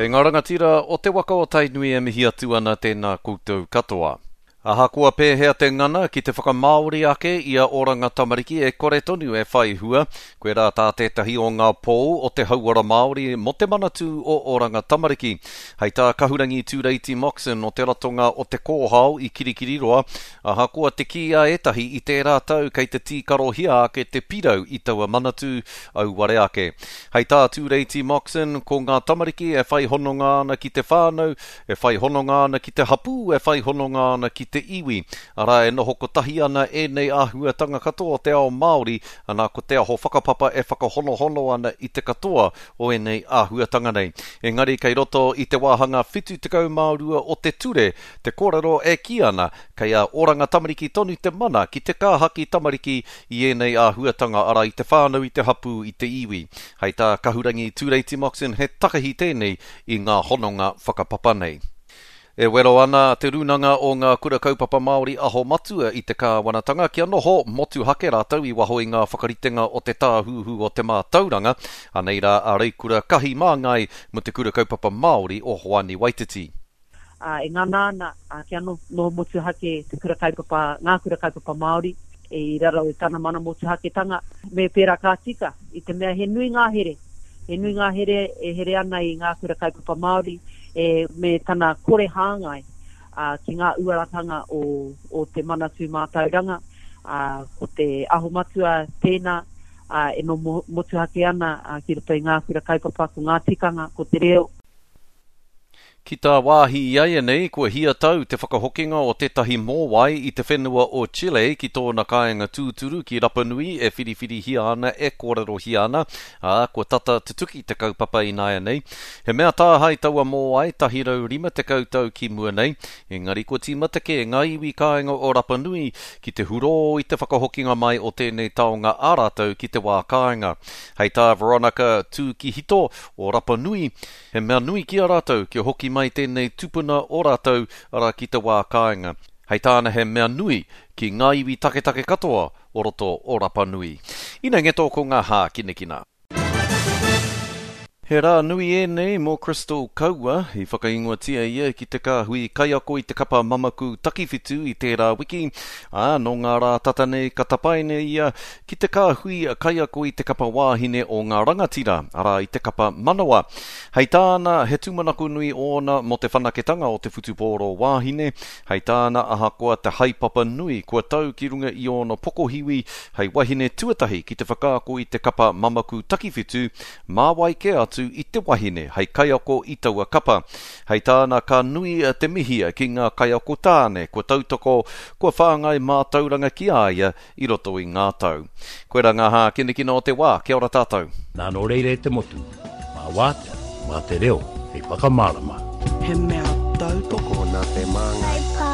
Kei ngā rangatira o te waka o Tainui e mihi atu ana tēnā koutou katoa. Ahakoa pēhea te ngana ki te whakamāori ake i a Oranga Tamariki e kore tonu e whai hua, koirā tā tētahi o ngā pou o te hauora Māori mō te Manatū o Oranga Tamariki. Hei tā Kahurangi Tūreiti Moxon o te ratonga o Te Kōhao i Kirikiriroa, ahakoa te kī a ētahi i tērā tau kei te tīkarohia ake te pirau i taua manatū, auware ake. Hei tā Tūreiti Moxon, ko ngā tamariki e whai hononga ana ki te whānau, e whai hononga ana ki te hapū, e whai hononga ana ki te iwi. Arā, e noho kotahi ana ēnei āhuatanga katoa o te ao Māori, anā, ko te aho whakapapa e whakahonohono ana i te katoa o ēnei āhuatanga nei. Engari kei roto i te wāhanga 72 o te ture te kōrero e kī ana kei a Oranga Tamariki tonu te mana ki te kāhaki tamariki i ēnei āhuatanga, arā, i te whānau, i te hapū, i te iwi. Hei tā Kahurangi Tūreiti Moxon he takahi tēnei i ngā hononga whakapapa nei. E wero ana Te Rūnanga o Ngā Kura Kaupapa Māori Aho Matua i te kāwanatanga kia noho motuhake rātou i waho i ngā whakaritenga o te Tāhuhu o te Mātauranga. Anei rā a Reikura Kahi Māngai mō Te Kura Kaupapa Māori o Hoani Waititi. Ā, e ngana ana kia noho motuhake te kura kaupapa, ngā kura kaupapa Māori i raro i tana mana motuhaketanga. Me pērā ka tika, i te mea he nui ngā here, he nui ngā here e here ana i ngā kura kaupapa Māori e, me tana kore hāngai ki ngā uaratanga o, o te Manatū Mātauranga, ā, ko te Aho Matua tēnā, ā, e noho motuhake ana ki roto i ngā kura kaupapa, ko ngā tikanga, ko te reo. Ki tā wāhi iaianei, kua hia tau te whakahokinga o tētahi mōwai i te whenua o Chile ki tōna kāinga tūturu ki Rapanui e whiriwhirihia ana, e kōrerohia ana, ā, kua tata tutuki te kaupapa ināianei. He mea tāhae taua mōwai 150 tau ki mua nei, engari kua tīmata kē ngā iwi kāinga o Rapanui ki te hurō i te whakahokinga mai o tēnei taonga ā rātou ki te wā kāinga. Hei tā Veronica Tūkihito o Rapanui, He mea nui ki a rātou kia hoki mai tēnei tupuna o rātou, arā ki te wā kāinga. Hei tāna he mea nui ki ngā iwi taketake katoa o roto o Rapa Nui. Ina ngeto ko ngā hākinakina. He rā nui ēnei mō Crystal Kaua, i whakaingoatia ia ki te kāhui kaiako i te kapa mamaku takiwhitu i tērā wiki, ā, nō ngā rā tata nei ka tapaina ia ki te kāhui kaiako i te kapa wāhine o ngā rangatira, arā i te kapa manawa. Hei tāna, he tūmanako nui ōna mō te whanaketanga o te whutupōro wāhine, hei tāna ahakoa te haepapa nui kua tau ki runga i ōna pokohiwi hei wahine tuatahi ki te whakaako i te kapa mamaku takiwhitu, mā wai kē atu i te wahine hei kaiako i taua kapa. Hei tāna ka nui te mihi ki ngā kaiako tāne kua tautoko, kua whāngai mātauranga ki a ia i roto i ngā tau. Koirā ngā hākinakina o te wā, kia ora tātou. Nā nō reira e te motu, mā wātea, mā te reo hei whakamārama. He mea tautoko nā te Māngai.